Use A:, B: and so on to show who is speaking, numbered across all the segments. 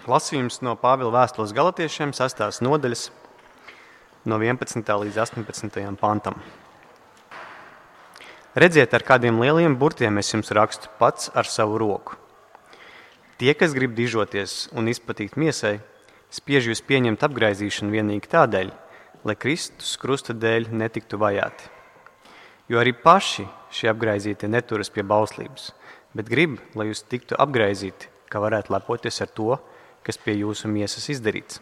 A: Lasījums no Pāvila vēstules Galatiešiem 6. nodaļas no 11. līdz 18. pantam. Redziet, ar kādiem lieliem burtiem es jums rakstu pats ar savu roku. Tie, kas grib dižoties un izpatikt miesai, spiež jūs pieņemt apgraizīšanu vienīgi tādēļ, lai Kristus krusta dēļ netiktu vajāti. Jo arī paši šie apgraizītie neturas pie bauslības, bet grib, lai jūs tiktu apgraizīti, ka varētu lepoties ar to, kas pie jūsu miesas izdarīts.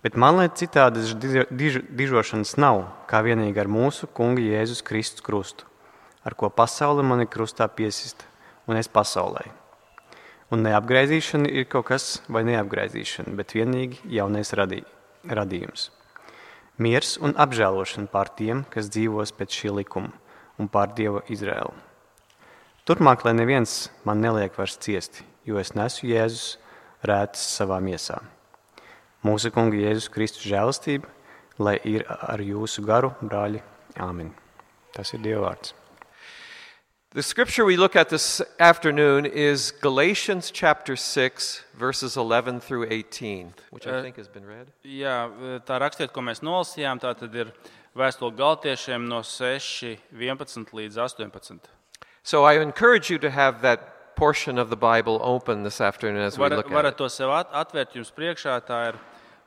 A: Bet man, lai citādas dižošanas nav, kā vienīgi ar mūsu Kunga Jēzus Kristus krustu, ar ko pasaule mani krustā piesista, un es pasaulē. Un neapgraizīšana ir kaut kas vai neapgraizīšana, bet vienīgi jaunais radījums. Miers un apžēlošana pār tiem, kas dzīvos pēc šī likuma, un pār Dieva Izraēlu. Turpmāk, lai neviens man neliek vairs ciesti, jo es nesu Jēzus rētas savā miesā. Mūsu Kunga Jēzus Kristus žēlastība, lai ir ar jūsu garu, brāļi. Āmen. Tas ir Dieva vārds.
B: The scripture we look at this afternoon is Galatians chapter 6, verses 11 through 18, which I think has been read.
C: Jā, tā rakstiet, ko mēs nolasījām, tā tad ir vēstule Galatiešiem no 6, 11 līdz 18.
B: So I encourage you to have that portion of the Bible open this afternoon as we look at
C: Varat
B: it.
C: to sev atvērt jums priekšā, tā ir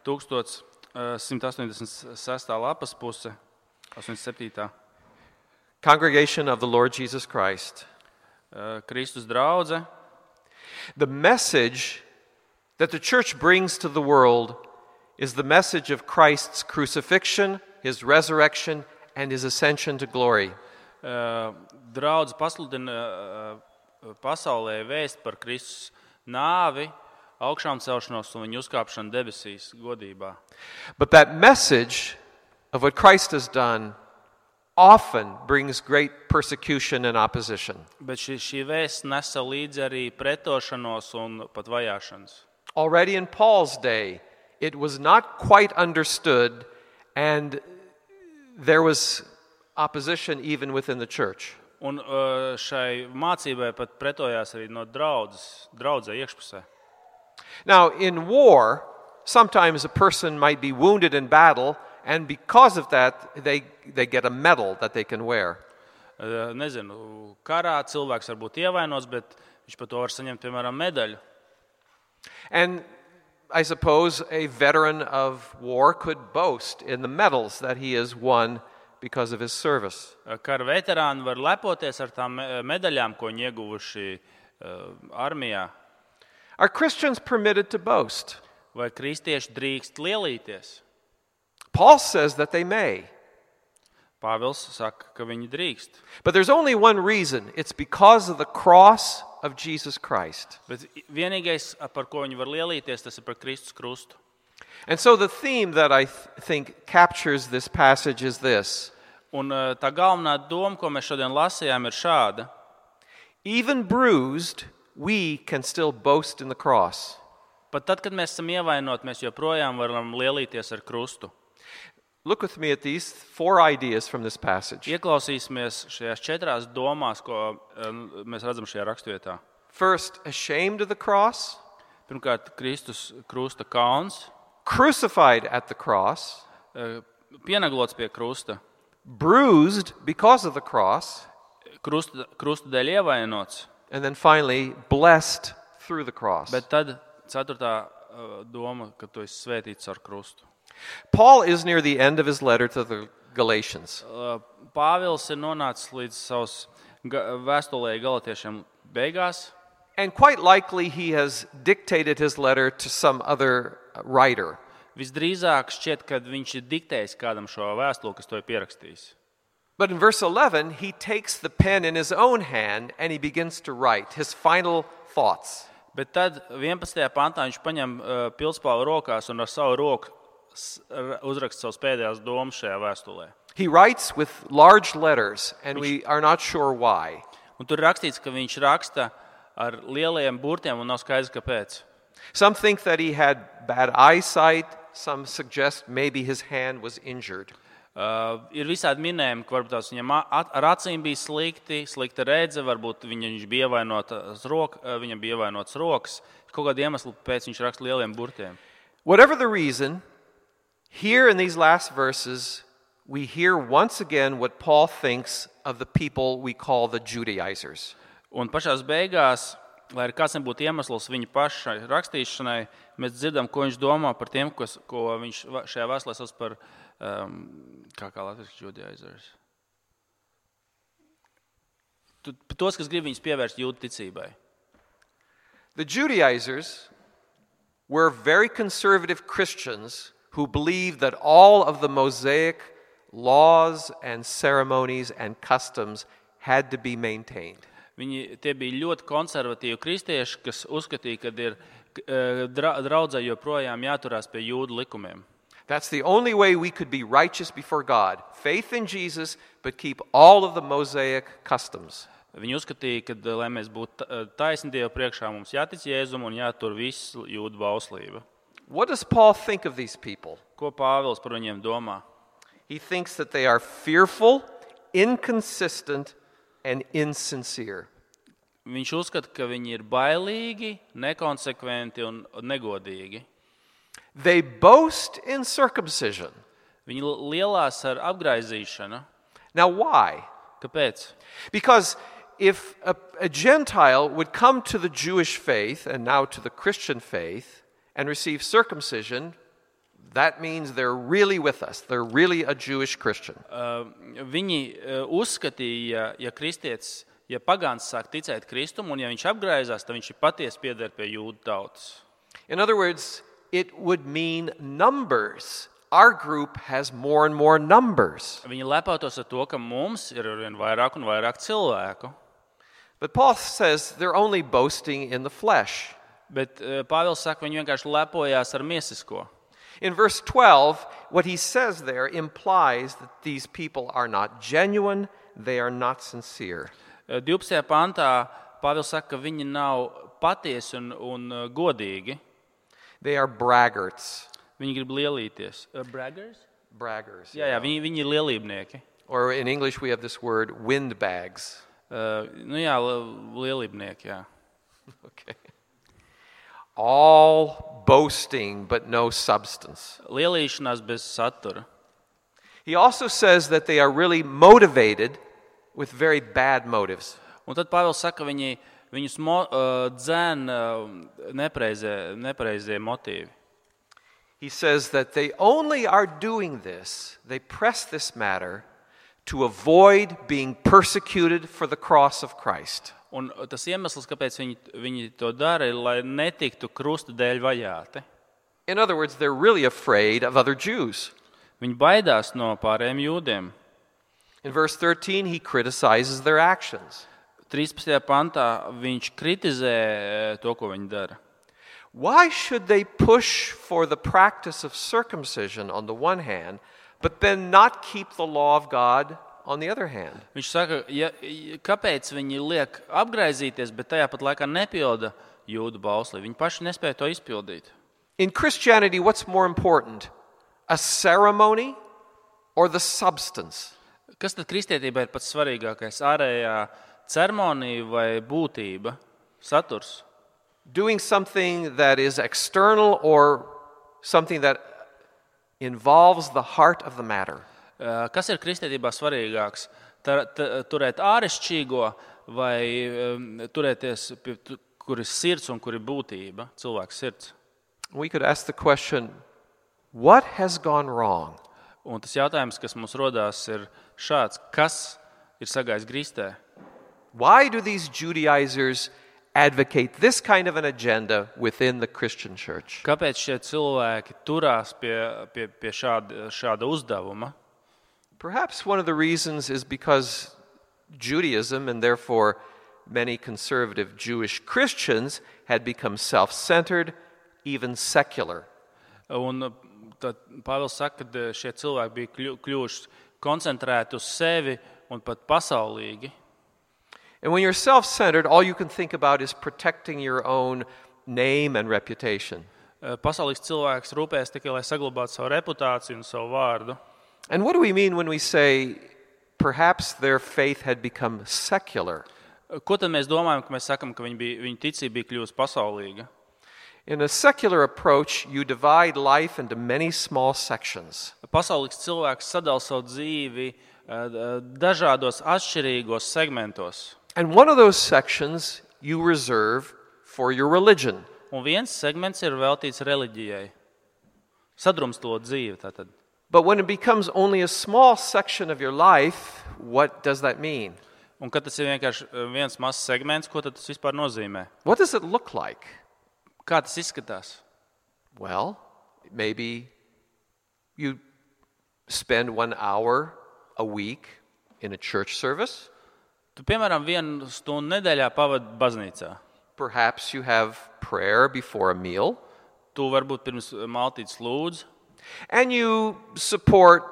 C: 1186. lapas puse, 87.
B: Congregation of the Lord Jesus Christ.
C: Kristus draudze.
B: The message that the church brings to the world is the message of Christ's crucifixion, his resurrection, and his ascension to glory.
C: Draudze pasludina pasaulē vēst par Kristus nāvi, augšām celšanos un viņu uzkāpšanu debesīs godībā.
B: But that message of what Christ has done often brings great persecution and opposition.
C: Bet šī vēsts nesa līdzi arī pretošanos un pat vajāšanas.
B: Already in Paul's day, it was not quite understood, and there was opposition even within the church.
C: Un šai mācībai pat pretojās arī no draudzē iekšpusē.
B: Now, in war, sometimes a person might be wounded in battle, and because of that, they get a medal that they can wear.
C: Nezinu, karā cilvēks var būt ievainots, bet viņš par to var saņemt, piemēram, medaļu.
B: And I suppose a veteran of war could boast in the medals that he has won because of his service.
C: Kara veterāni var lepoties ar tām medaļām, ko viņi ieguvuši armijā.
B: Are Christians permitted to boast?
C: Vai kristieši drīkst lielīties?
B: Paul says that they may.
C: Pāvils saka, ka viņi drīkst.
B: But there's only one reason. It's because of the cross of Jesus Christ.
C: Bet vienīgais, par ko viņi var lielīties, tas ir par Kristus krustu.
B: And so the theme that I think captures this passage is this.
C: Un tā galvenā doma, ko mēs šodien lasījām, ir šāda.
B: Even bruised, we can still boast in the cross.
C: Pat tad, kad mēs esam ievainoti, mēs joprojām varam lielīties ar krustu.
B: Look with me at these 4 ideas from this passage.
C: Ieklausīsimies šajās 4 domās, ko mēs redzam šajā rakstvietā.
B: First, ashamed of the cross.
C: Pirmkārt, Kristus krusta kauns,
B: Crucified at the cross.
C: pienaglots pie krusta,
B: Bruised because of the cross.
C: krusta dēļ ievainots,
B: And then finally, blessed through the cross.
C: bet tad 4. doma, ka tu esi svētīts ar krustu.
B: Paul is near the end of his letter to the Galatians.
C: Pāvils ir nonācis līdz savas vēstulē Galatiešiem beigās,
B: And quite likely he has dictated his letter to some other writer.
C: Visdrīzāk šķiet, ka viņš ir diktējis kādam šo vēstuli, kas to ir pierakstījis.
B: But in verse 11, he takes the pen in his own hand and he begins to write his final thoughts.
C: Bet tad 11. pantā viņš paņem pilspālu rokās un ar savu roku uzraksta savas pēdējās domas šajā vēstulē.
B: He writes with large letters, and we are not sure why.
C: Un tur ir rakstīts, ka viņš raksta ar lieliem burtiem un nav skaidrs, kāpēc.
B: Some think that he had bad eyesight. Some suggest maybe his hand was injured.
C: Ir visādi minējumi, ka varbūt tās viņam ar acīm bija slikta redze, varbūt viņš bija viņam bija ievainots rokas. Kaut kādu iemeslu pēc viņš raksta lieliem burtiem.
B: Whatever the reason, here in these last verses, we hear once again what Paul thinks of the people we call the Judaizers.
C: Un pašās beigās, lai arī kāds nebūtu iemesls viņa pašai rakstīšanai, mēs dzirdam, ko viņš domā par tiem, ko viņš šajā vēstulē sauc par, kā latviski Judaizers. Tos, kas grib viņus pievērst jūdu ticībai.
B: The Judaizers were very conservative Christians who believed that all of the Mosaic laws and ceremonies and customs had to be maintained.
C: Tie bija ļoti konservatīvi kristieši, kas uzskatīja, ka ir draudzē joprojām jāturās pie jūdu likumiem.
B: That's the only way we could be righteous before God. Faith in Jesus, but keep all of the Mosaic customs.
C: Viņi uzskatīja, ka, lai mēs būtu taisni Dievu priekšā, mums jātic Jēzum un jātur visu jūdu bauslība.
B: What does Paul think of these people?
C: Ko Pāvils par viņiem domā?
B: He thinks that they are fearful, inconsistent, and insincere.
C: Viņš uzskata, ka viņi ir bailīgi, nekonsekventi un negodīgi.
B: They boast in circumcision.
C: Viņi lielās ar apgraizīšanu.
B: Now why?
C: Kāpēc?
B: Because if a Gentile would come to the Jewish faith and now to the Christian faith and receive circumcision, that means they're really with us. They're really a Jewish Christian.
C: Viņi uzskatīja, ja pagāns sāk ticēt Kristum un ja viņš apgraizās, tad viņš ir patiesi pieder pie jūdu tautas.
B: In other words, it would mean numbers. Our group has more and more numbers.
C: Viņi lepotos ar to, ka mums ir arvien vairāk un vairāk cilvēku.
B: But Paul says they're only boasting in the flesh.
C: Bet Pāvils saka, viņi vienkārši lepojās ar miesisko.
B: In verse 12, what he says there implies that these people are not genuine, they are not sincere.
C: 12. pantā Pāvils saka, ka viņi nav patiesi un godīgi.
B: They are braggarts.
C: Viņi grib lielīties. Braggers?
B: Braggers.
C: Jā, viņi ir lielībnieki.
B: Or in English we have this word windbags.
C: Lielībnieki, jā.
B: Okay. All boasting but no substance.
C: Lielīšanās bez satura.
B: He also says that they are really motivated with very bad motives.
C: Un tad Pāvils saka, viņus dzēn nepareizie motīvi.
B: He says that they only are doing this, they press this matter to avoid being persecuted for the cross of Christ.
C: Un tas iemesls, kāpēc viņi to dara, ir, lai netiktu krusta dēļ vajāti.
B: In other words, they're really afraid of other Jews.
C: Viņi baidās no pārējiem jūdiem.
B: In verse 13, he criticizes their actions.
C: 13. pantā viņš kritizē to, ko viņi dara.
B: Why should they push for the practice of circumcision on the one hand, but then not keep the law of God on the other hand?
C: Viņš saka, kāpēc viņi liek apgraizīties, bet tajā pat laikā nepilda jūdu bauslību. Viņi paši nespēja to izpildīt.
B: In Christianity, what's more important? A ceremony or the substance?
C: Kas tad kristietībā ir pats svarīgākais? Ārējā ceremonija vai būtība, saturs?
B: Doing something that is external or something that involves the heart of the matter?
C: Kas ir kristietībā svarīgāks? Turēt āršķirīgo vai turēties, kur ir sirds un kur ir būtība, cilvēks sirds?
B: We could ask the question, what has gone wrong?
C: Un tas jautājums, kas mums rodās, ir šāds: kas ir sagājis grīstē?
B: Why do these Judaizers advocate this kind of an agenda within the Christian church?
C: Kāpēc šie cilvēki turās pie šāda uzdevuma?
B: Perhaps one of the reasons is because Judaism, and therefore many conservative Jewish Christians, had become self-centered, even secular.
C: Un tad Pāvils saka, ka šie cilvēki bija kļuvuši koncentrēti uz sevi un pat pasaulīgi.
B: And when you're self-centered, all you can think about is protecting your own name and reputation.
C: Pasaulīgs cilvēks rūpēs tikai, lai saglabātu savu reputāciju un savu vārdu.
B: And what do we mean when we say perhaps their faith had become secular?
C: Ko tad mēs domājam, ka mēs sakam, ka viņa ticība bija kļuvusi pasaulīga?
B: In a secular approach, you divide life into many small sections.
C: Pasaulīgs cilvēks sadala savu dzīvi dažādos atšķirīgos segmentos.
B: And one of those sections you reserve for your religion.
C: Un viens segments ir veltīts reliģijai. Sadrumstalot dzīvi tātad.
B: But when it becomes only a small section of your life, what does that mean?
C: Un kad tas ir vienkārši viens mazs segments, ko tad tas vispār nozīmē?
B: What does it look like?
C: Kā tas izskatās?
B: Well, maybe you spend 1 hour a week in a church service.
C: Tu, piemēram, 1 stundu nedēļā pavadi baznīcā.
B: Perhaps you have prayer before a meal.
C: Tu varbūt pirms maltītes lūdz.
B: And you support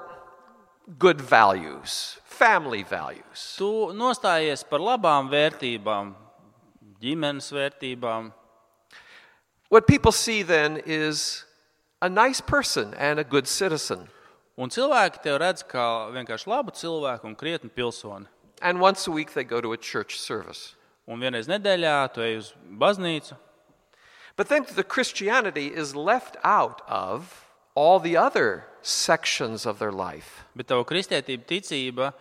B: good values, family values.
C: Tu nostājies par labām vērtībām, ģimenes vērtībām.
B: What people see then is a nice person and a good citizen.
C: Un cilvēki tev redz kā vienkārši labu cilvēku un krietnu pilsoni.
B: And once a week they go to a church service.
C: Un vienreiz nedēļā tu ej uz baznīcu.
B: But then the Christianity is left out of all the other sections of their life.
C: Bet tava kristietība, ticība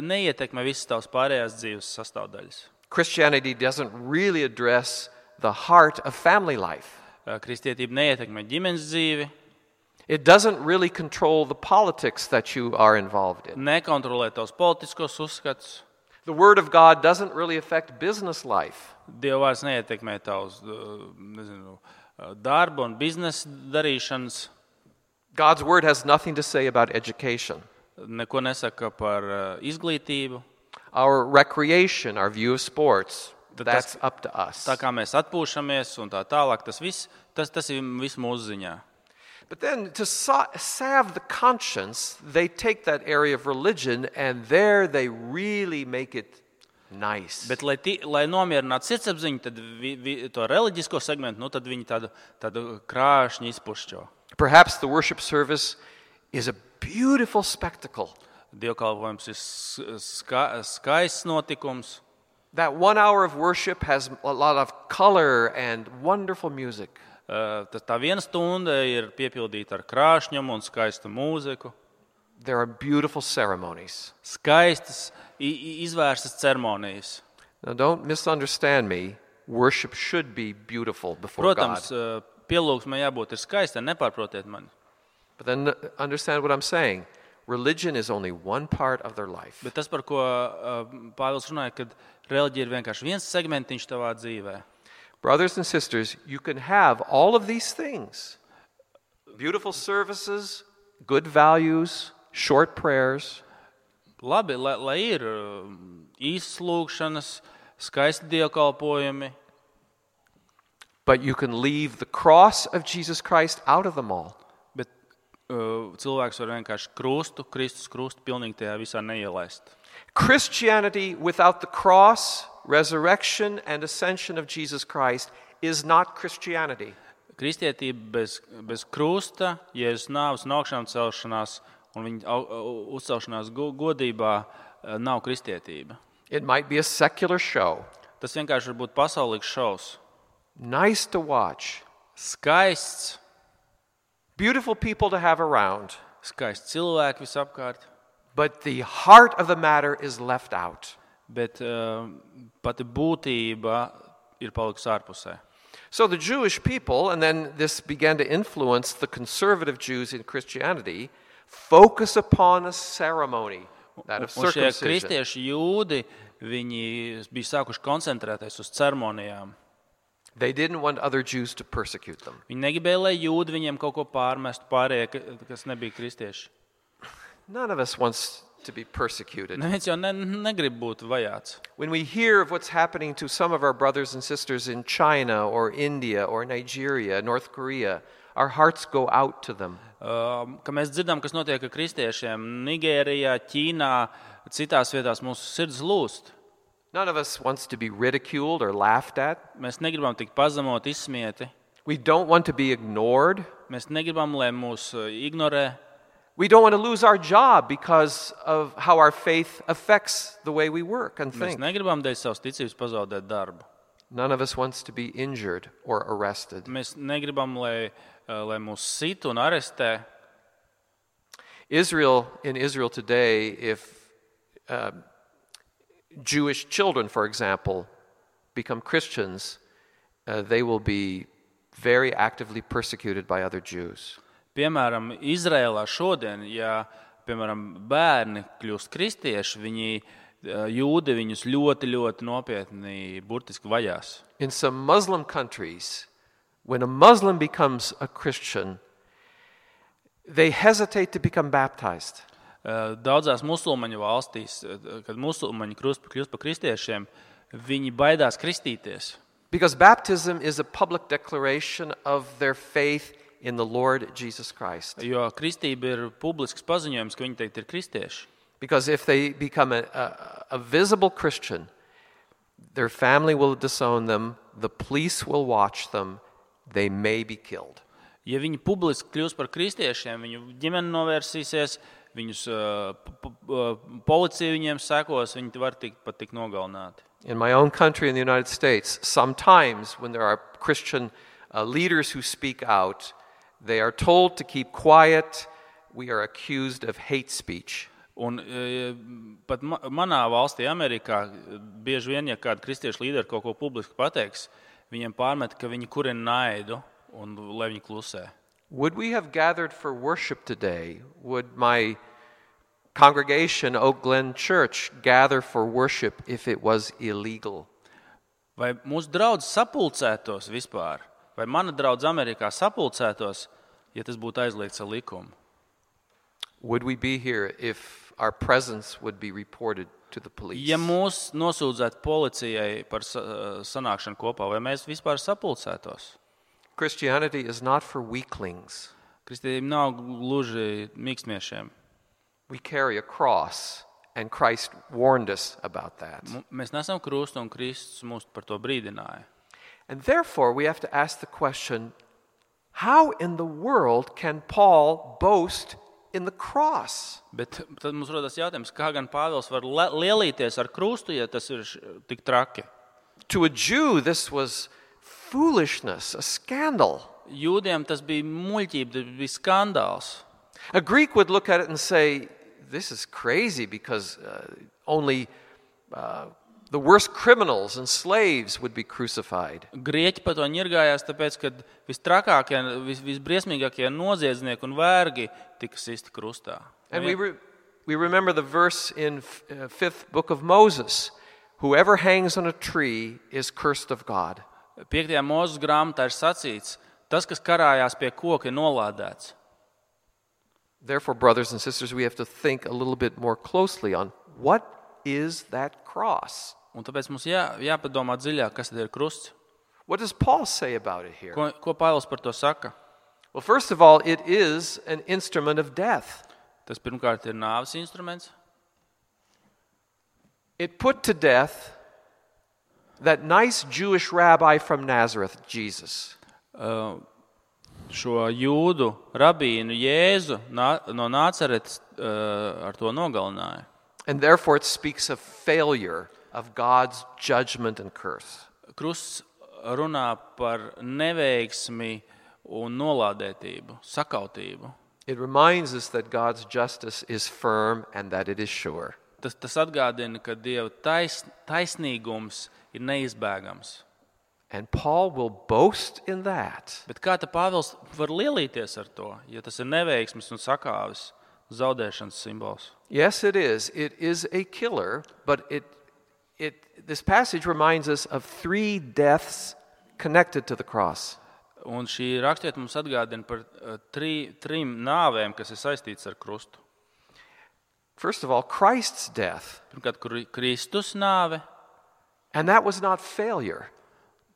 C: neietekmē visas tavas pārējās dzīves sastāvdaļas.
B: Christianity doesn't really address the heart of family life.
C: Kristietība neietekmē ģimenes dzīvi.
B: It doesn't really control the politics that you are involved in.
C: Nekontrolē tavus politiskos uzskatus.
B: The Word of God doesn't really affect business life.
C: Dieva vārds neietekmē tavus darbu un biznesa darīšanas.
B: God's Word has nothing to say about education.
C: Neko nesaka par izglītību.
B: Our recreation, our view of sports, that's up to us.
C: Tā kā mēs atpūšamies un tā tālāk, tas ir viss mūsu ziņā.
B: But then to salve the conscience, they take that area of religion and there they really make it nice.
C: Bet, lai nomierinātu sirdsapziņu, tad to reliģisko segmentu, tad viņi tādu krāšņu izpušķo.
B: Perhaps the worship service is a beautiful spectacle.
C: Dievkalpojums ir skaists notikums.
B: That 1 hour of worship has a lot of color and wonderful music.
C: Tā 1 stunda ir piepildīta ar krāšņumu un skaistu mūziku.
B: There are beautiful ceremonies.
C: Skaistas, izvērstas ceremonijas.
B: Now don't misunderstand me. Worship should be beautiful before
C: Protams,
B: God.
C: pielūgsmai jābūt ir skaistai, nepārprotiet mani.
B: But then understand what I'm saying. Religion is only one part of their life.
C: Bet tas, par ko Pāvils runāja, kad reliģija ir vienkārši viens segmentiņš tavā dzīvē.
B: Brothers and sisters, you can have all of these things. Beautiful services, good values, short prayers.
C: Labi, lai ir īsas lūgšanas, skaisti dievkalpojumi.
B: But you can leave the cross of Jesus Christ out of them all.
C: Bet cilvēks var vienkārši Kristus krustu pilnīgi tajā visā neielaist.
B: Christianity without the cross, resurrection and ascension of Jesus Christ is not Christianity.
C: Kristietība bez krusta, Jēzus nāves un augšām celšanās un viņa uzcelšanās godībā nav kristietība.
B: It might be a secular show.
C: Tas vienkārši var būt pasaulīgs šovs.
B: Nice to watch.
C: Skaists.
B: Beautiful people to have around.
C: Skaisti cilvēki visapkārt.
B: But the heart of the matter is left out.
C: Bet pati būtība ir palikusi ārpusē.
B: So the Jewish people, and then this began to influence the conservative Jews in Christianity, focus upon a ceremony, that of
C: Un šie
B: circumcision.
C: kristieši jūdi, viņi bija sākuši koncentrēties uz ceremonijām.
B: They didn't want other Jews to persecute them.
C: Viņi negribēja, lai jūdi viņiem kaut ko pārmestu pārējie, kas nebija kristieši.
B: None of us wants to be persecuted.
C: Neviens jau negrib būt vajāts.
B: When we hear of what's happening to some of our brothers and sisters in China or India or Nigeria, North Korea, our hearts go out to them.
C: Ka mēs dzirdam, kas notiek ar kristiešiem Nigērijā, Ķīnā, citās vietās, mūsu sirds lūst.
B: None of us wants to be ridiculed or laughed at.
C: Mēs negribam tikt pazemot, izsmieti.
B: We don't want to be ignored.
C: Mēs negribam, lai mūs ignorē.
B: We don't want to lose our job because of how our faith affects the way we work and
C: Mēs
B: think.
C: negribam dēļ savas ticības pazaudēt darbu.
B: None of us wants to be injured or arrested.
C: Mēs negribam, lai mūs sit un arestē.
B: In Israel today, if Jewish children, for example, become Christians, they will be very actively persecuted by other Jews.
C: Piemēram, Izrēlā šodien, ja, piemēram, bērni kļūst kristieši, jūdi viņus ļoti, ļoti nopietni burtiski vajās.
B: In some Muslim countries, when a Muslim becomes a Christian, they hesitate to become baptized.
C: Daudzās musulmaņu valstīs, kad musulmaņi kļūst par kristiešiem, viņi baidās kristīties.
B: Because baptism is a public declaration of their faith in the Lord Jesus Christ.
C: Jo kristība ir publisks paziņojums, ka viņi teikt ir kristieši.
B: Because if they become a visible Christian, their family will disown them, the police will watch them, they may be killed.
C: Ja viņi publiski kļūs par kristiešiem, viņu ģimene novērsīsies, viņus policija viņiem sekos, viņi var pat tik nogalināti.
B: In my own country, in the United States, sometimes when there are Christian leaders who speak out, they are told to keep quiet. We are accused of hate speech.
C: Un pat manā valstī, Amerikā, bieži vien, ja kāda kristiešu līderi kaut ko publiski pateiks, viņiem pārmet, ka viņi kurina naidu un lai viņi klusē.
B: Would we have gathered for worship today? Would my congregation, Oak Glen Church, gather for worship if it was illegal?
C: Vai mūsu draudz sapulcētos vispār? Vai mana draudz Amerikā sapulcētos, ja tas būtu aizliegts ar likumu?
B: Would we be here if our presence would be reported to the police?
C: Ja mūs nosūdzētu policijai par sanākšanu kopā, vai mēs vispār sapulcētos?
B: Christianity is not for weaklings.
C: Kristība nav gluži mīkstniešiem.
B: We carry a cross, and Christ warned us about that.
C: Mēs nesam krustu, un Kristus mūs par to brīdināja.
B: And therefore, we have to ask the question, how in the world can Paul boast in the cross?
C: Bet tad mums rodas jautājums, kā gan Pāvils var lielīties ar krustu, ja tas ir tik traki?
B: To a Jew, this was foolishness, a scandal.
C: Jūdiem tas bija muļķība, tas bija skandāls.
B: A Greek would look at it and say, this is crazy because only the worst criminals and slaves would be crucified.
C: Grieķi par to ņirgājās, tāpēc, ka vistrakākie, visbriesmīgākie noziedznieki un vergi tika sisti krustā.
B: And we remember the verse in 5th book of Moses, whoever hangs on a tree is cursed of God.
C: 5. Mūzes grāmatā ir sacīts, tas, kas karājās pie koka, ir nolādēts.
B: Therefore, brothers and sisters, we have to think a little bit more closely on what is that cross?
C: Un tāpēc mums jāpadomā dziļāk, kas tad ir krusts.
B: What does Paul say about it here?
C: Ko Pāvils par to saka?
B: Well, first of all, it is an instrument of death.
C: Tas pirmkārt ir nāves instruments.
B: It put to death that nice Jewish rabbi from Nazareth, Jesus.
C: Šo jūdu rabīnu Jēzu no Nācaretes ar to nogalināja.
B: And therefore it speaks of failure of God's judgment and curse.
C: Krusts runā par neveiksmi un nolādētību, sakautību.
B: It reminds us that God's justice is firm and that it is sure.
C: Tas atgādina, ka Dieva taisnīgums ir neizbēgams.
B: And Paul will boast in that.
C: Bet kā ta Pāvils var lielīties ar to, ja tas ir neveiksmes un sakāves zaudēšanas simbols?
B: Yes, it is. It is a killer, but this passage reminds us of 3 deaths connected to the cross.
C: Un šī rakstiet mums atgādina par trim nāvēm, kas ir saistīts ar krustu.
B: First of all, Christ's death.
C: Pirmkārt, Kristus nāve.
B: And that was not failure.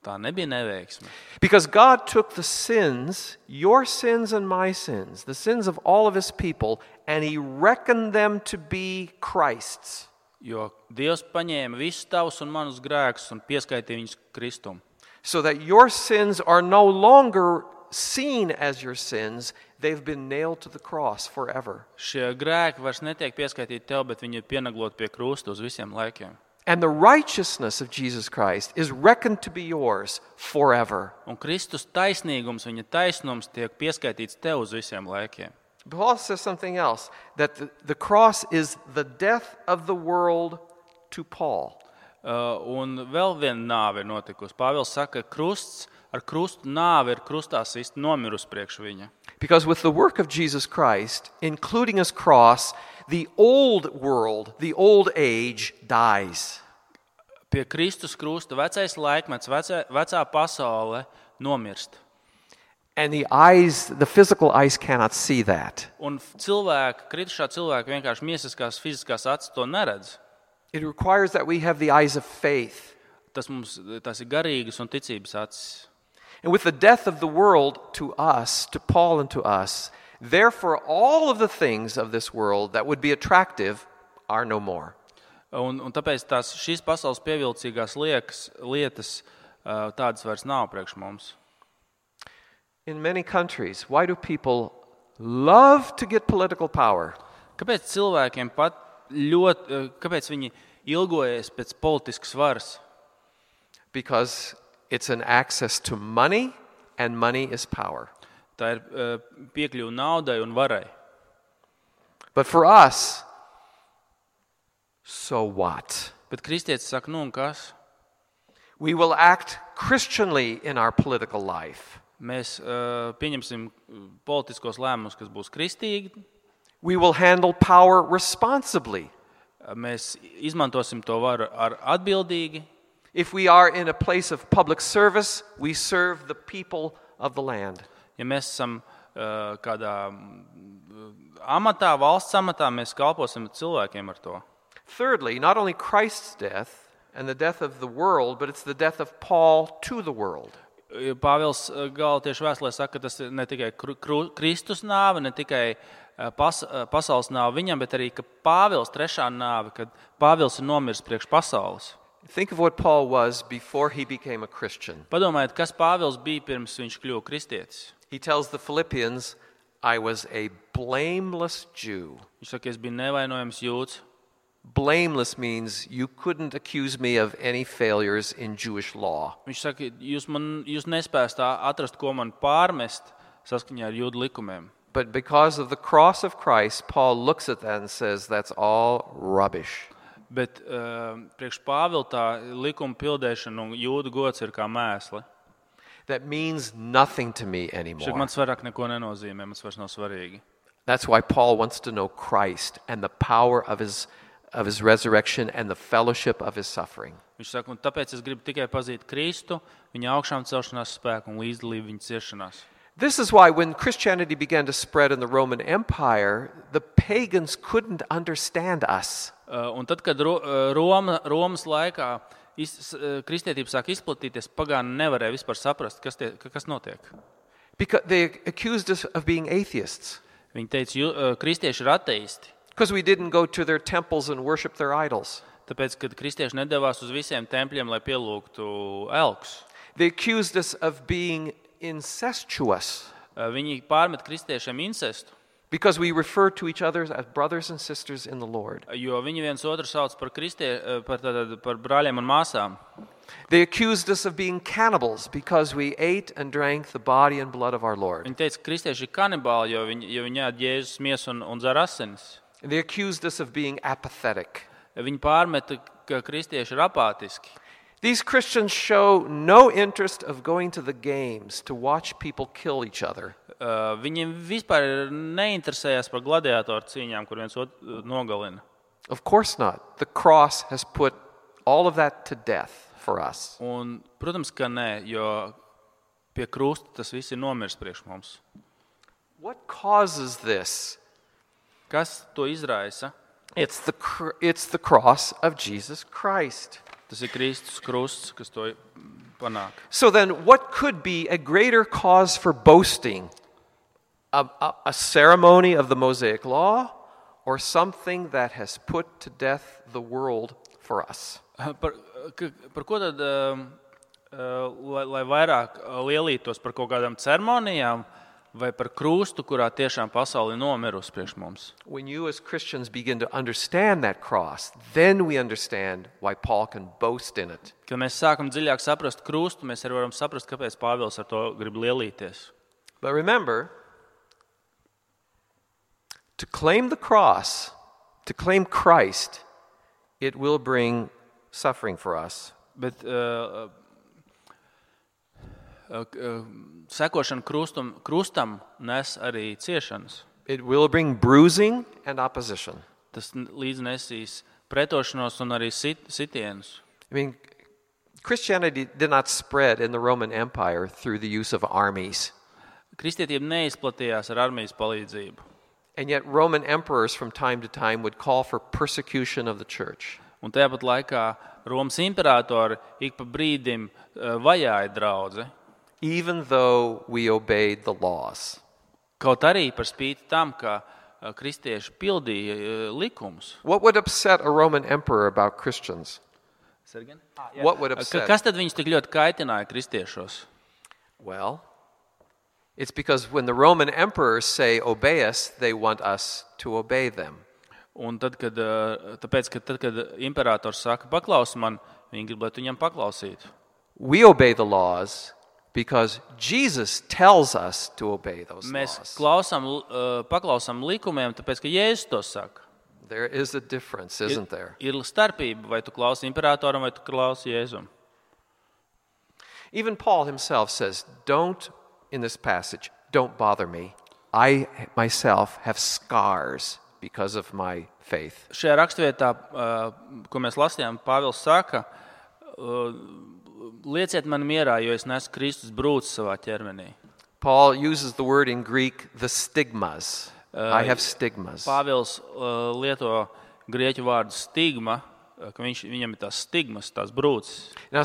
C: Tā nebija neveiksme.
B: Because God took the sins, your sins and my sins, the sins of all of his people, and he reckoned them to be Christ's.
C: Jo Dievs paņēma visus tavus un manus grēkus un pieskaitīja viņus Kristum.
B: So that your sins are no longer seen as your sins, they've been nailed to the cross forever.
C: Šie grēki vairs netiek pieskaitīti tev, bet viņi ir pienagloti pie krusta uz visiem laikiem.
B: And the righteousness of Jesus Christ is reckoned to be yours forever.
C: Un Kristus taisnīgums, viņa taisnums tiek pieskaitīts tev uz visiem laikiem.
B: Paul says something else, that the cross is the death of the world to Paul.
C: Un vēl viena nāve ir notikusi. Pāvils saka, ka ar krustu nāve ir krustā sist nomirusi priekš viņa.
B: Because with the work of Jesus Christ, including his cross, the old world, the old age dies.
C: Pie Kristus krusta vecais laikmets, vecā pasaule nomirst.
B: And the physical eyes cannot see that.
C: Un kritušā cilvēka vienkārši miesiskās, fiziskās acis to neredz.
B: It requires that we have the eyes of faith.
C: Tas ir garīgas un ticības acis.
B: And with the death of the world to us, to Paul and to us, therefore all of the things of this world that would be attractive are no more.
C: Un tāpēc šīs pasaules pievilcīgās lietas tādas vairs nav priekš mums.
B: In many countries, why do people love to get political power?
C: Kāpēc cilvēkiem kāpēc viņi ilgojas pēc politiskas varas?
B: Because it's an access to money, and money is power.
C: Tā ir piekļuve naudai un varai.
B: But for us, so what?
C: Bet kristietis saka, un kas?
B: We will act Christianly in our political life.
C: Mēs pieņemsim politiskos lēmumus, kas būs kristīgi.
B: We will handle power responsibly.
C: Mēs izmantosim to varu atbildīgi.
B: If we are in a place of public service, we serve the people of the land.
C: Ja mēs esam kādā amatā, valsts amatā, mēs kalposim cilvēkiem ar to.
B: Thirdly, not only Christ's death and the death of the world, but it's the death of Paul to the world.
C: Pāvils Galātiešu vēstulē saka, ka tas ir ne tikai Kristus nāve, ne tikai pasaules nāve viņam, bet arī ka Pāvils trešā nāve, kad Pāvils ir nomiris priekš pasaules.
B: Think of what Paul was before he became a Christian.
C: Padomājiet, kas Pāvils bija pirms viņš kļuva kristietis.
B: He tells the Philippians, I was a blameless Jew.
C: Viņš saka, es biju nevainojams jūds.
B: Blameless means you couldn't accuse me of any failures in Jewish law.
C: Viņš saka, jūs nespējat atrast, ko man pārmest saskaņā ar jūdu likumiem.
B: But because of the cross of Christ, Paul looks at that and says, that's all rubbish.
C: Bet priekš Pāvila tā likuma pildēšana un jūdu gods ir kā mēsli.
B: That means nothing to me anymore.
C: Šeit man vairāk neko nenozīmē, man vairs nav svarīgi.
B: That's why Paul wants to know Christ and the power of his resurrection and the fellowship of his suffering.
C: Viņš saka, un tāpēc es gribu tikai pazīt Kristu, viņa augšām celšanās spēku un līdzdalību viņa ciešanās.
B: This is why when Christianity began to spread in the Roman Empire, the pagans couldn't understand us.
C: Un tad, kad Romas laikā kristietība sāk izplatīties, pagāni nevarēja vispār saprast, kas notiek.
B: Because they accused us of being atheists.
C: Viņi teica, kristieši ir ateisti.
B: Because we didn't go to their temples and worship their idols.
C: Tāpēc, kad kristieši nedavās uz visiem tempļiem, lai pielūgtu elkus.
B: They accused us of being incestuous.
C: Viņi pārmet kristiešiem incestu.
B: Because we refer to each other as brothers and sisters in the Lord.
C: Jo viņi viens otru sauc par brāļiem un māsām.
B: They accused us of being cannibals because we ate and drank the body and blood of our Lord.
C: Viņi teica, ka kristieši ir kanibāli, jo viņi ēd Jēzus miesu un dzer asinis.
B: They accused us of being apathetic.
C: Viņi pārmeta, ka kristieši ir apātiski.
B: These Christians show no interest of going to the games to watch people kill each other.
C: Viņi vispār neinteresējās par gladiātoru cīņām, kur viens otru nogalina.
B: Of course not. The cross has put all of that to death for us.
C: Un, protams, ka nē, jo pie krusta tas viss ir nomirs priekš mums.
B: What causes this?
C: Kas to izraisa?
B: It's the cross of Jesus Christ.
C: Tas ir Kristus krusts, kas to panāk.
B: So then, what could be a greater cause for boasting? A ceremony of the Mosaic Law, or something that has put to death the world for us?
C: Par ko tad, lai vairāk lielītos par kaut kādām ceremonijām, vai par krustu, kurā tiešām pasaule ir nomirusi priekš mums.
B: When you as Christians begin to understand that cross, then we understand why Paul can boast in it.
C: Kad mēs sākam dziļāk saprast krustu, mēs arī varam saprast, kāpēc Pāvils ar to grib lielīties.
B: But remember, to claim the cross, to claim Christ, it will bring suffering for us.
C: Bet sekošana krustam nes arī ciešanas.
B: It will bring bruising and opposition.
C: Tas līdz nesīs pretošanos un arī sitienus.
B: I mean, Christianity did not spread in the Roman Empire through the use of armies.
C: Kristietība neizplatījās ar armijas palīdzību.
B: And yet Roman emperors from time to time would call for persecution of the church.
C: Un tāpat laikā Romas imperatori ik pa brīdim vajāja draudzi.
B: Even though we obeyed the laws.
C: Kaut arī par spīti tam, ka kristieši pildīja likumus.
B: What would upset a Roman emperor about Christians? What would upset?
C: Kas tad viņus tik ļoti kaitināja kristiešos?
B: Well, it's because when the Roman emperors say obey us, they want us to obey them.
C: Un tad, kad imperators saka paklaus man, viņi grib, lai tu viņam paklausītu.
B: We obey the laws because Jesus tells us to obey those
C: Mēs
B: laws.
C: paklausām likumiem, tāpēc, ka Jēzus to saka.
B: There is a difference, isn't there?
C: Ir starpība, vai tu klausi imperatoram, vai tu klausi Jēzum.
B: Even Paul himself says, in this passage, don't bother me. I myself have scars because of my faith.
C: Šajā rakstvietā, ko mēs lasījām, Pāvils saka, lieciet man mierā, jo es nesu Kristus brūces savā ķermenī.
B: Paul uses the word in Greek, the stigmas. I have stigmas.
C: Pāvils lieto grieķu vārdu stigma, ka viņam ir tās stigmas, tās brūces.
B: Now,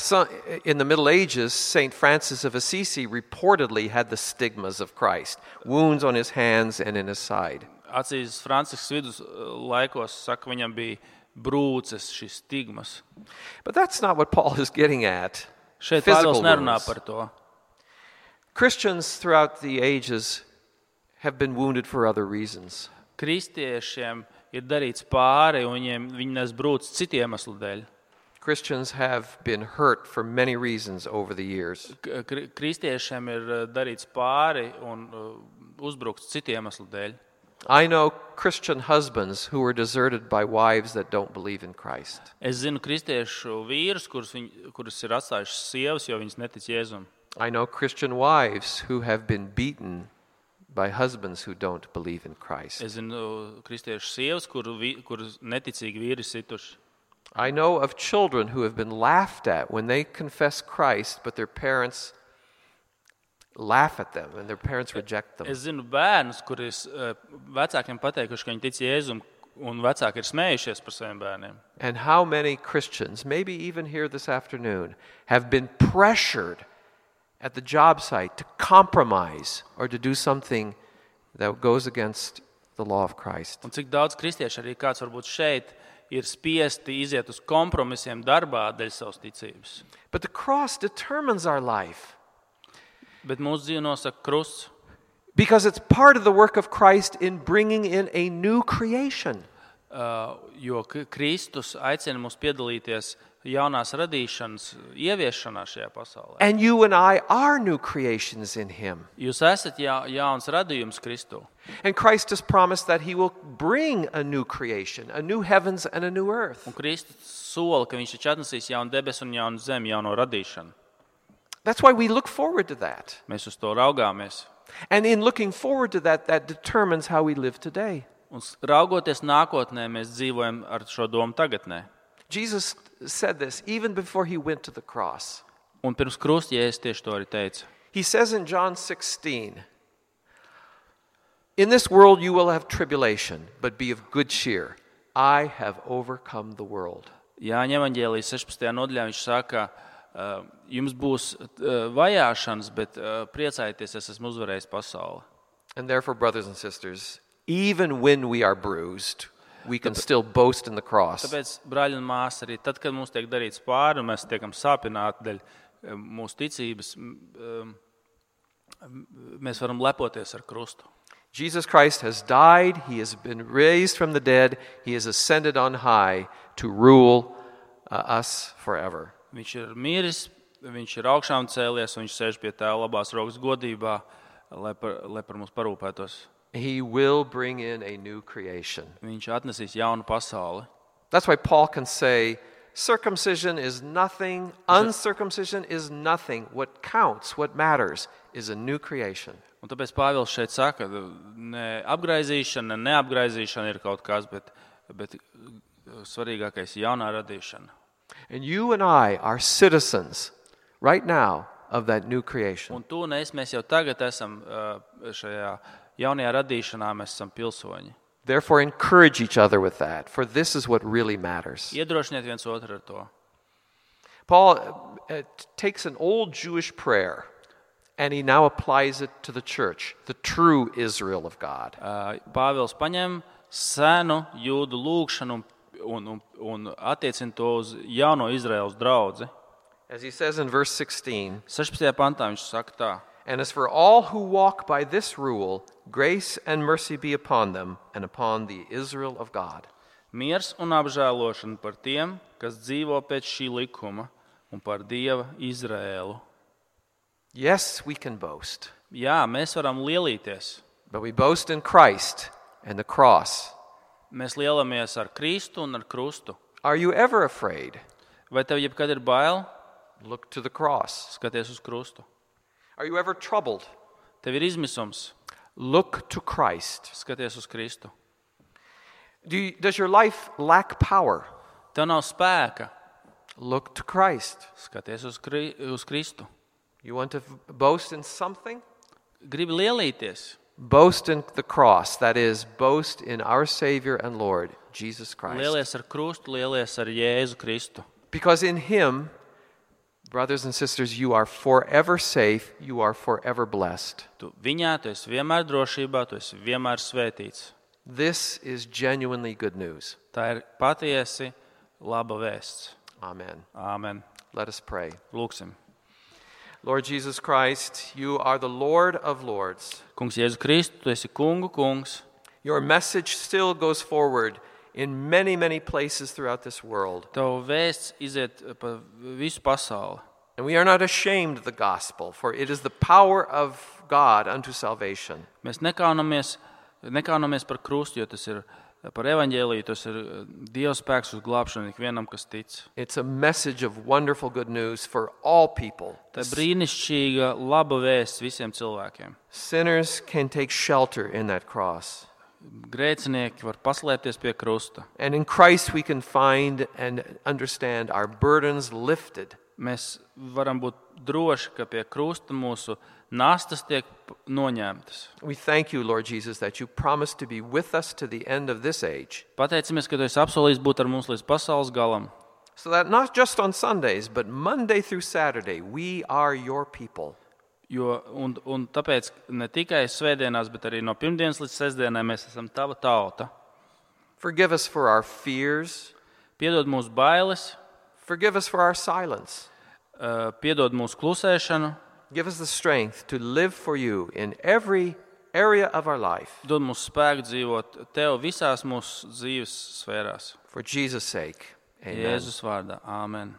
B: in the Middle Ages, St. Francis of Assisi reportedly had the stigmas of Christ, wounds on his hands and in his side.
C: Acīzes Francisks vidus laikos saka, viņam bija brūces, šīs stigmas.
B: But that's not what Paul is getting at.
C: Šeit
B: Physical
C: Pāvils nerunā
B: wounds.
C: par to.
B: Christians throughout the ages have been wounded for other reasons.
C: Kristiešiem ir darīts pāri, un viņi nes brūces citu iemeslu dēļ.
B: Christians have been hurt for many reasons over the years.
C: Kristiešiem ir darīts pāri un uzbrukts citu iemeslu dēļ.
B: I know Christian husbands who were deserted by wives that don't believe in Christ.
C: Es zinu kristiešu vīrus, kurus ir atstājušas sievas, jo viņas netic Jēzum.
B: I know Christian wives who have been beaten by husbands who don't believe in Christ.
C: Es zinu kristiešu sievas, kuras neticīgi vīri situši.
B: I know of children who have been laughed at when they confess Christ, but their parents laugh at them and their parents reject them.
C: Es zinu bērnus, kurus vecākiem pateikuši, ka viņi tic Jēzum, un vecāki ir smējušies par saviem bērniem.
B: And how many Christians, maybe even here this afternoon, have been pressured at the job site to compromise or to do something that goes against the law of Christ.
C: Un cik daudz kristiešu, arī kāds varbūt šeit, ir spiesti iziet uz kompromisiem darbā dēļ savas ticības.
B: But the cross determines our life.
C: Bet mūsu dzīve nosaka krusts,
B: Because it's part of the work of Christ in bringing in a new creation.
C: Jo Kristus aicina mūs piedalīties jaunās radīšanas ieviešanā šajā pasaulē.
B: And you and I are new creations in Him.
C: Jūs esat jauns radījums Kristu.
B: And Christ has promised that He will bring a new creation, a new heavens and a new earth.
C: Un Kristus sola, ka viņš taču atnesīs jaunu debesu un jaunu zemi, jauno radīšanu.
B: That's why we look forward to that.
C: Mēs uz to raugāmies.
B: And in looking forward to that, that determines how we live today.
C: Un raugoties nākotnē, mēs dzīvojam ar šo domu tagadnē.
B: Jesus said this even before He went to the cross.
C: Un pirms krusta Jēzus tieši to arī teica.
B: He says in John 16, "In this world you will have tribulation, but be of good cheer. I have overcome the world."
C: Jāņa evaņģēlijas 16. nodaļā viņš saka, jums būs vajāšanas, bet priecājieties, es esmu uzvarējis pasauli.
B: And therefore, brothers and sisters, even when we are bruised, we can still boast in the cross.
C: Tāpēc, brāļi un māsas, arī tad, kad mums tiek darīts pāri un mēs tiekam sāpināti dēļ mūsu ticības, mēs varam lepoties ar krustu.
B: Jesus Christ has died, he has been raised from the dead, he has ascended on high to rule us forever.
C: Viņš ir miris, viņš ir augšām cēlies, un viņš sēž pie Tēva labās rokas godībā, lai par mums parūpētos.
B: He will bring in a new creation.
C: Viņš atnesīs jaunu pasauli.
B: That's why Paul can say, circumcision is nothing, uncircumcision is nothing. What counts, what matters, is a new creation.
C: Un tāpēc Pāvils šeit saka, ne apgraizīšana, ne neapgraizīšana ir kaut kas, bet svarīgākais ir jaunā radīšana.
B: And you and I are citizens right now of that new creation.
C: Un tu un es, mēs jau tagad esam šajā jaunajā radīšanā, mēs esam pilsoņi.
B: Therefore, encourage each other with that, for this is what really matters.
C: Iedrošiniet viens otru ar to.
B: Paul takes an old Jewish prayer and he now applies it to the church, the true Israel of God.
C: Pāvils paņem senu jūdu lūgšanu un attiecina to uz jauno Izraēlas draudzi.
B: As he says in verse 16,
C: 16. pantā viņš saka tā.
B: And as for all who walk by this rule, grace and mercy be upon them and upon the Israel of God.
C: Miers un apžēlošana par tiem, kas dzīvo pēc šī likuma, un par Dieva Izraēlu.
B: Yes, we can boast.
C: Jā, mēs varam lielīties.
B: But we boast in Christ and the cross.
C: Mēs lielamies ar Kristu un ar krustu.
B: Are you ever afraid?
C: Vai tev jebkad ir bail?
B: Look to the cross.
C: Skaties uz krustu.
B: Are you ever troubled?
C: Tev ir izmisums.
B: Look to Christ.
C: Skaties uz Kristu.
B: Does your life lack power?
C: Tev nav spēka.
B: Look to Christ.
C: Skaties uz Kristu.
B: You want to boast in something?
C: Gribi lielīties.
B: Boast in the cross, that is, boast in our Savior and Lord, Jesus Christ.
C: Lielies ar krustu, lielies ar Jēzu Kristu.
B: Because in Him, brothers and sisters, you are forever safe, you are forever blessed.
C: Viņā tu esi vienmēr drošībā, tu esi vienmēr svētīts.
B: This is genuinely good news.
C: Tā ir patiesi laba vēsts.
B: Amen.
C: Āmen.
B: Let us pray.
C: Lūksim.
B: Lord Jesus Christ, you are the Lord of Lords.
C: Kungs Jēzu Kristu, tu esi kungu kungs.
B: Your message still goes forward in many, many places throughout this world.
C: Tavu vēsts iziet pa visu pasauli.
B: And we are not ashamed of the gospel, for it is the power of God unto salvation.
C: Mēs nekaunamies par krustu, jo tas ir par evaņģēliju, tas ir Dieva spēks uz glābšanu ikvienam, kas tic.
B: It's a message of wonderful good news for all people.
C: Tā ir brīnišķīga, laba vēsts visiem cilvēkiem.
B: Sinners can take shelter in that cross.
C: Grēcinieki var paslēpties pie krusta.
B: And in Christ we can find and understand our burdens lifted.
C: Mēs varam būt droši, ka pie krusta mūsu nastas tiek noņemtas.
B: We thank you, Lord Jesus, that you promised to be with us to the end of this age.
C: Pateicamies, ka tu esi apsolījis būt ar mums līdz pasaules galam.
B: So that not just on Sundays, but Monday through Saturday, we are your people.
C: Un tāpēc ne tikai svētdienās, bet arī no pirmdienas līdz sestdienai mēs esam tava tauta.
B: Forgive us for our fears.
C: Piedod mūsu bailes.
B: Forgive us for our silence.
C: Piedod mūsu klusēšanu.
B: Give us the strength to live for you in every area of our life.
C: Dod mums spēku dzīvot tev visās mūsu dzīves sfērās.
B: For Jesus' sake. Amen.
C: Jēzus vārdā. Āmen.